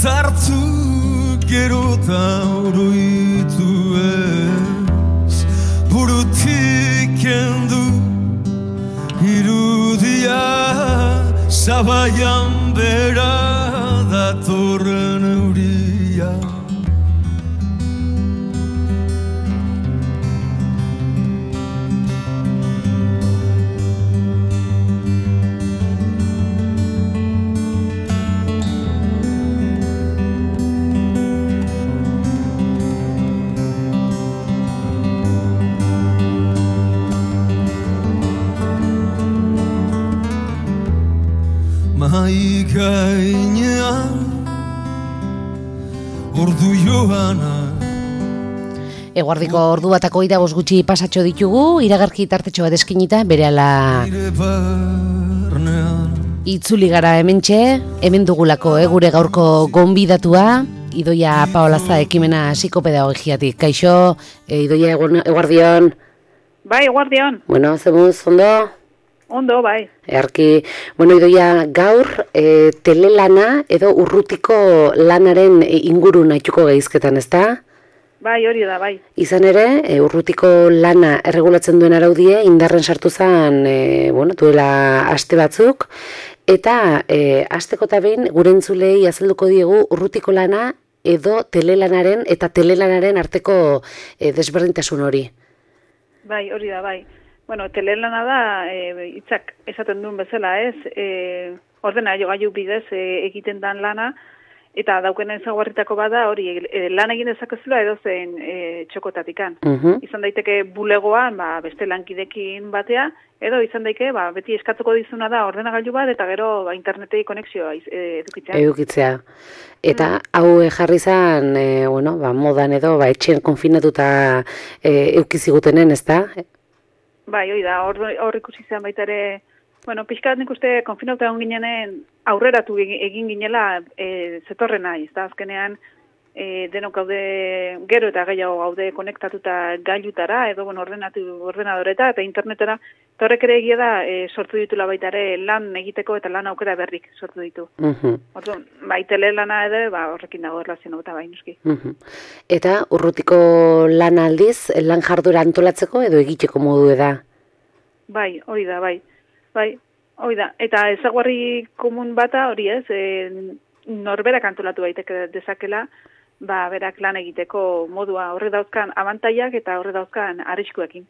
hartu gero eta oroitu ez, burutik kendu irudia, zabaian bera datorren euria. Mahai gainean ordu joana. Eguardiko ordu batako ida gutxi pasatxo ditugu, iragarki tartetxo bat eskinita, berehala itzuli gara hementxe, hemen dugulako gure gaurko gonbidatua, Idoia Paolaza ekimena psikopedagogiatik. Kaixo, Idoia eguardion. Bai, eguardion. Bueno, zemuz, ondo? Ondo, bai. Earki, bueno, Idoia, gaur telelana edo urrutiko lanaren inguru nahituko geizketan, ezta? Bai, hori da, bai. Izan ere, urrutiko lana erregulatzen duen araudie, indarren sartu zen, duela aste batzuk, eta asteko eta behin gure entzulei azalduko diegu urrutiko lana edo telelanaren eta telelanaren arteko desberdintasun hori. Bai, hori da, bai. Bueno, telelana da, hitzak esaten duen bezala, ez? Ordenagailu bidez egiten dan lana, eta dauken ezaugarritako bada hori lan egin dezakezula edozein txokotatikan. Izan daiteke bulegoan, beste lankidekin batea, edo izan daiteke beti eskatzeko dizuna da ordenagailu bat, eta gero internetei konexioa edukitzea. Eta hau jarri zen, modan edo, etxean konfinatuta eukizigutenen, ez da? Bai, hori da, hor ikusi zen baita ere, pixkat nik uste konfinauta egon ginenen aurreratu egin ginela zetorren nahi, ez da, azkenean denok gaude gero eta gehiago gaude konektatuta gailutara, edo ordenadoreta eta internetera, eta horrek ere egia da sortu ditula baita ere lan egiteko eta lan aukera berrik sortu ditu. Orduan, telelana ere, horrekin dago erlazioa eta bai nuski. Eta urrutiko lan aldiz, lan jardura antolatzeko edo egiteko modu da? Bai, hori da, bai. Bai, hori da. Eta ezaguarri komun bata hori ez, norberak antolatu daiteke dezakela, berak lan egiteko modua horre dauzkan abantaiak eta horre dauzkan arriskuekin.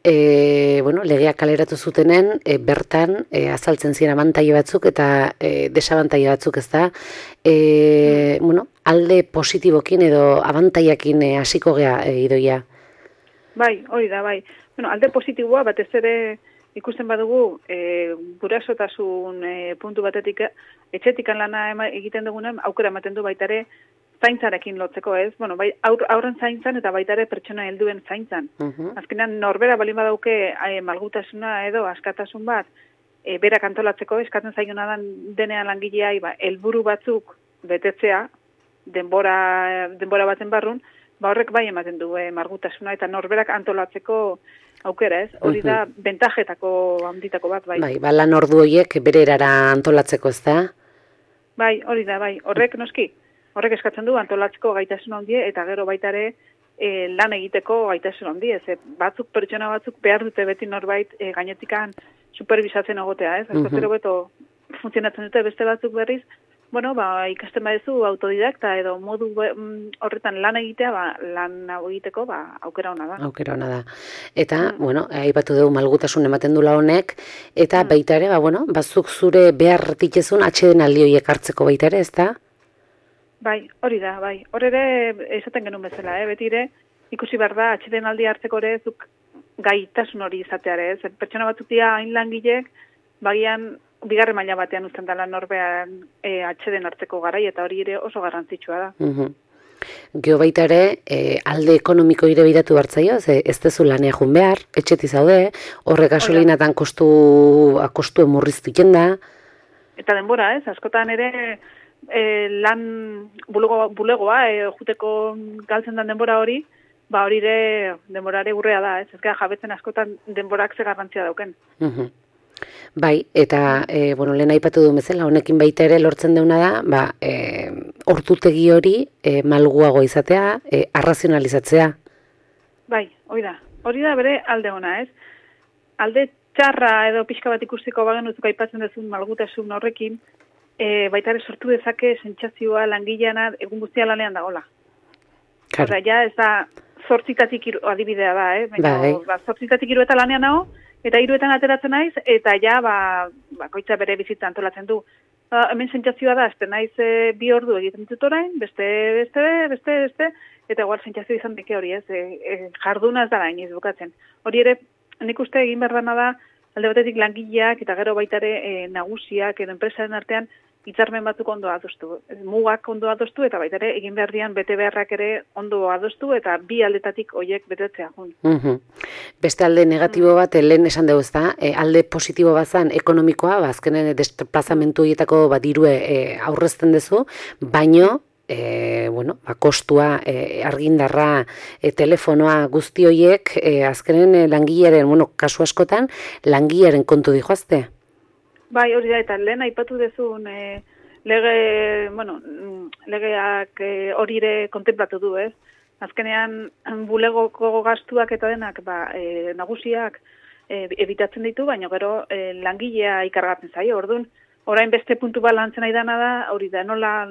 Legeak kaleratu zutenen, bertan azaltzen ziren abantaio batzuk eta desabantaio batzuk, ez da? Alde positibokin edo abantaiakin hasiko gea, Idoia? Bai, hori da, bai. Alde positiboa batez ere ikusten badugu gurasotasun puntu batetik etxetikan lana egiten dugunen aukera ematen du baita ere zaintzarekin lotzeko, ez? Bai, aurren zaintzan eta baita ere pertsona helduen zaintzan. Azkenean norbera balin badauke malgutasuna edo askatasun bat berak antolatzeko, eskatzen zaiona denean langileai helburu batzuk betetzea denbora baten barrun, horrek bai ematen du malgutasuna eta norberak antolatzeko aukera, ez? Hori da bentajetako handitako bat, bai. Bai, lan ordu horiek bere erara antolatzeko, ez da? Bai, hori da, bai. Horrek noski, horrek eskatzen du antolatzeko gaitasun handie eta gero baita ere lan egiteko gaitasun handie, ez? Pertsona batzuk behar dute beti norbait gainetikan superbisatzen egotea, ez? Azkotero beto funtzionatzen dute beste batzuk berriz, ikasten badezu autodidakta edo modu horretan lan egitea, lan hau egiteko aukera ona da. Aukera ona da. Eta, aipatu dugu malgutasun ematen dula honek, eta baita ere, bazuk zure behar ditezun atxeden aldi horiek hartzeko baita ere, ez da? Bai, hori da, bai. Hor ere, esaten genuen bezala, beti ere, ikusi behar da, atxeden aldi hartzeko ere, zuk gaitasun hori izateare, ez? Pertsona batzuk dira hain langilek, bagian bigarren maila batean uzten dela norbean atxeden hartzeko garai, eta hori ere oso garrantzitsua da. Geo baita ere, alde ekonomiko ire bidatu hartzaio, ez dezu lanea jun behar, etxeti zaude, horre gasolinatan kostu emurriztu da. Eta denbora, ez? Askotan ere lan bulegoa, juteko galtzen den denbora hori, hori ere denborare urrea da, ez? Ez gara jabetzen askotan denborak ze garrantzia dauken. Bai, eta bueno, lehen aipatu du bezala, honekin baita ere lortzen deuna da, ordutegi hori malguago izatea, arrazionalizatzea. Bai, hori da bere alde ona, ez? Alde txarra edo pixka bat ikusteko bagenutzuk aipatzen duzun malgutasun horrekin, baita ere sortu dezake sentsazioa langileana egun guztia lanean dagola. Claro. Horra, ja, ez da 8 adibidea da, baina 8 eta lanean nago, eta 3 ateratzen naiz, eta ja, bakoitza bere bizitza antolatzen du. Hemen sentsazioa da, azte naiz 2 ordu egiten dut orain, beste, eta igual sentsazio izan dike hori, ez? Jarduna ez da gainiz bukatzen. Hori ere, nik uste egin behar dana da, alde batetik langileak, eta gero baita ere nagusiak, edo enpresaren artean, hitzarmen batzuk ondo adostu. Mugak ondo adostu, eta baita ere, egin behar dian bete beharrak ere ondo adostu, eta bi aldetatik hoiek betetzea. Beste alde negatibo bat, lehen esan dugu ezta, alde positibo bazan ekonomikoa, azkenen desplazamentu horietako dirue aurrezten duzu, baino, kostua, argindarra, telefonoa guzti horiek, azkenen langilearen, kasu askotan, langilearen kontu dihoazte. Bai, hori da, eta lehen aipatu dezun legeak hori ere kontemplatu du, ez? Azkenean, bulegoko gastuak eta denak, nagusiak ebitatzen ditu, baina gero langilea ikargatzen zaio, orduan, orain beste puntu bat lantzen nahi dana da, hori da, nola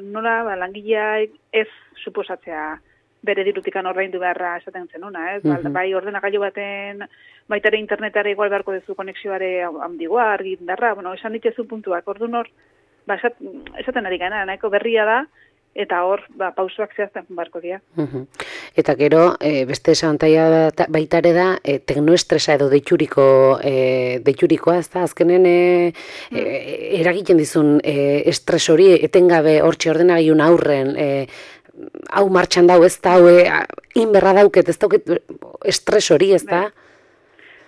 langilea ez suposatzea bere dirutikan ordaindu beharra esaten zenuna, ez? Bai ordenagailu baten, baita ere internetare igual beharko duzu konexioare handigoa, argindarra, esan ditzezu puntuak, orduan hor, esaten ari gana, nahiko berria da, eta hor, pausoak zehazten beharko dira. Eta gero, beste esantaia baita ere da, teknoestresa edo deiturikoa, ez da, azkenen eragiten dizun estres hori, etengabe hortxe ordenagailun aurren, hau martxan dau, ez da, inberra dauket, ez dauket estres hori, ez da?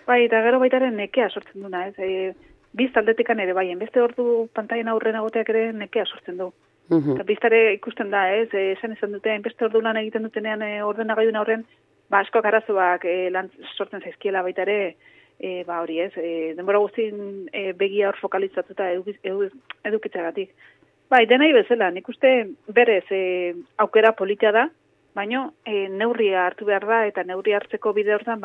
Bai, eta gero baitaren nekea sortzen duna, ez? Biz aldetikan ere, bai, beste ordu pantaien aurren agoteak ere nekea sortzen du. Eta biztare ikusten da, ez? Esan izan dute, beste ordu lan egiten dutenean ordenagailun aurren, asko arazoak lan sortzen zaizkiela baita ere, hori, ez? Denbora guztien begia hor fokalitzatuta edukitzagatik. Bai, denai bezala, nik uste berez aukera politia da, baina neurria hartu behar da, eta neurria hartzeko bide hortan,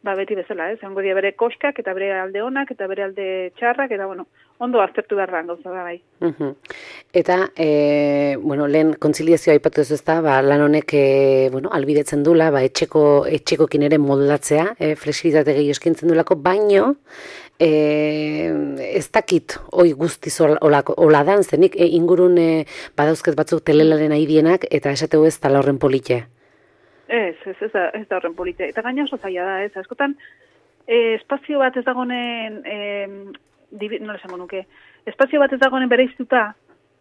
beti bezala, ez? Egongo dira bere koskak, eta bere alde onak, eta bere alde txarrak, eta ondo aztertu behar da, gauza da, bai. Eta, lehen kontziliazioa aipatu ez da, lan honek, albidetzen dula, etxekokin ere moldatzea, flexibilitate gehi eskintzen dulako, baino, ez dakit hoi guztiz hola dan, zenik ingurun badauzket batzuk telelaren aidienak, eta esateu ez tala horren polite. Ez da horren polite. Eta gaina oso zaila da, ez? Askotan, espazio bat ez dagoen, nola esango nuke, espazio bat ez dagoen bereiztuta,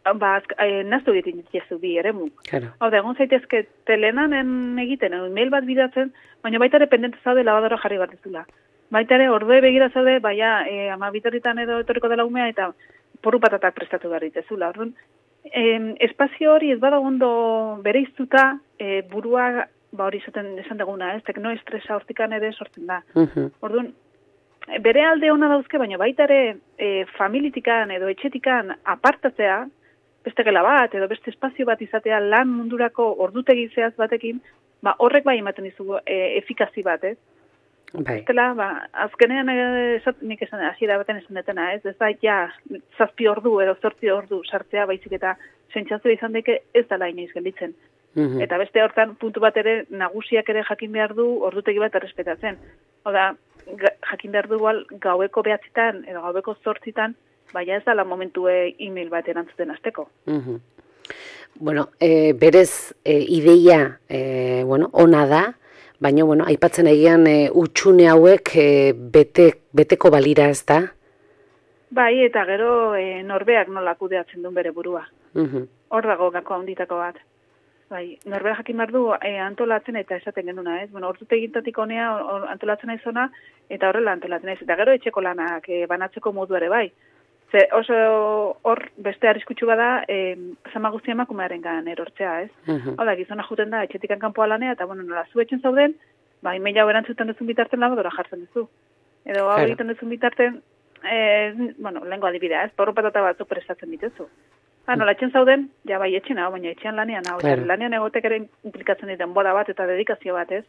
naztu egiten ditezu bi eremu. Hau da, egon zaitezke telenan egiten, mail bat bidatzen, baina baita ere pendente zaude labadora jarri bat ezula. Baita ere, ordue begira zaude, ama bitarritan edo etorriko dela umea, eta porru patatak prestatu behar ditezula. Orduan, espazio hori ez badago ondo bereiztuta, burua, hori esan deguna, ez, teknoestresa hortikan ere sortzen da. Orduan, bere alde ona dauzke, baina baita ere familitikan edo etxetikan apartatzea, beste gela bat edo beste espazio bat izatea lan mundurako ordutegi zehaz batekin, horrek bai ematen dizu efikazi bat, ez? Estela, azkenean nik esan, hasiera baten esan detena, ez da, 7 ordu edo 8 ordu sartzea baizik eta sentsazioa izan deke ez dela inoiz gelditzen. Eta beste hortan, puntu bat ere, nagusiak ere jakin behar du ordutegi bat errespetatzen. Oda, jakin behar du gaueko 9 edo gaueko 8 baina ez dala momentu e-mail bat erantzuten azteko. Berez ideia, ona da, baina, aipatzen egian utxune hauek beteko balira ez da? Bai, eta gero norbeak nola kudeatzen duen bere burua. Hor dago gako handitako bat. Bai, norbeak jakin behar du antolatzen eta esaten genduna, ez? Ordutegintatik honea antolatzen naizona eta horrela antolatzen naiz. Eta gero etxeko lanak banatzeko moduare bai. Ze oso hor beste arriskutsu bada zama guztia emakumearen gan erortzea, ez? Hau da, gizona juten da etxetikan kanpoa lanea eta nola zu etxen zauden, emaila hau erantzuten duzun bitarten labadora jartzen duzu. Edo hau egiten duzun bitarten bueno, lehenko adibidea, ez? Porro patata batzuk prestatzen ditezu. Nola etxen zauden, ja bai etxen hau, baina etxean lanean hau. Claro. Lanean egotek ere implikatzen diten boda bat eta dedikazio bat, ez?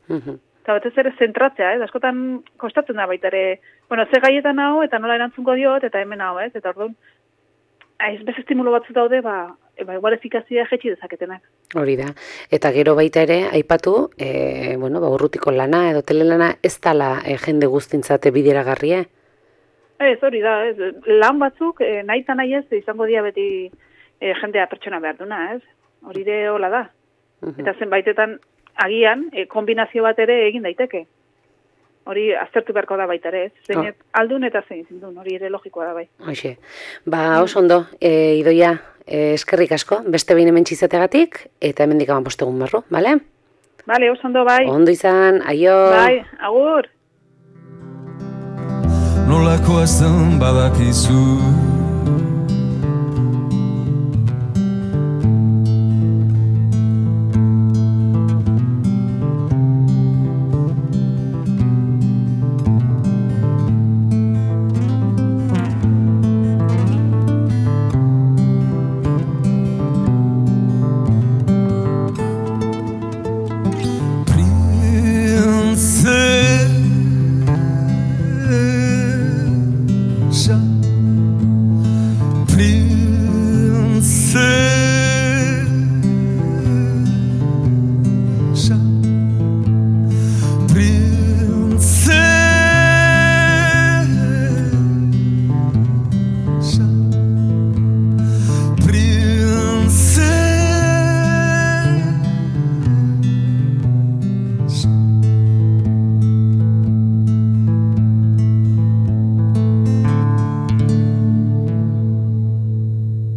Eta batez ere zentratzea, ez? Askotan kostatzen da baita ere, bueno, ze gaietan hau eta nola erantzungo diot eta hemen hau, ez? Eta orduan, beste estimulo batzu daude, igual efikazia jetxi dezaketenak. Hori da. Eta gero baita ere, aipatu, urrutiko lana edo telelana ez dala jende guztintzate bideragarria? Ez, hori da, ez. Lan batzuk, nahi eta nahi ez, izango dia beti jendea pertsona behar duna, ez? Hori ere hola da. Eta zenbaitetan, agian, kombinazio bat ere egin daiteke. Hori aztertu beharko da baita ere, ez? Zein aldun eta zein zindun, hori ere logikoa da bai. Hoxe. Oso ondo, Idoia, eskerrik asko, beste behin hemen txizategatik, eta hemen dikaman postegun barru, bale? Bale, oso ondo bai. Ondo izan, aio. Bai, agur. Nolakoa zen badakizu Princesa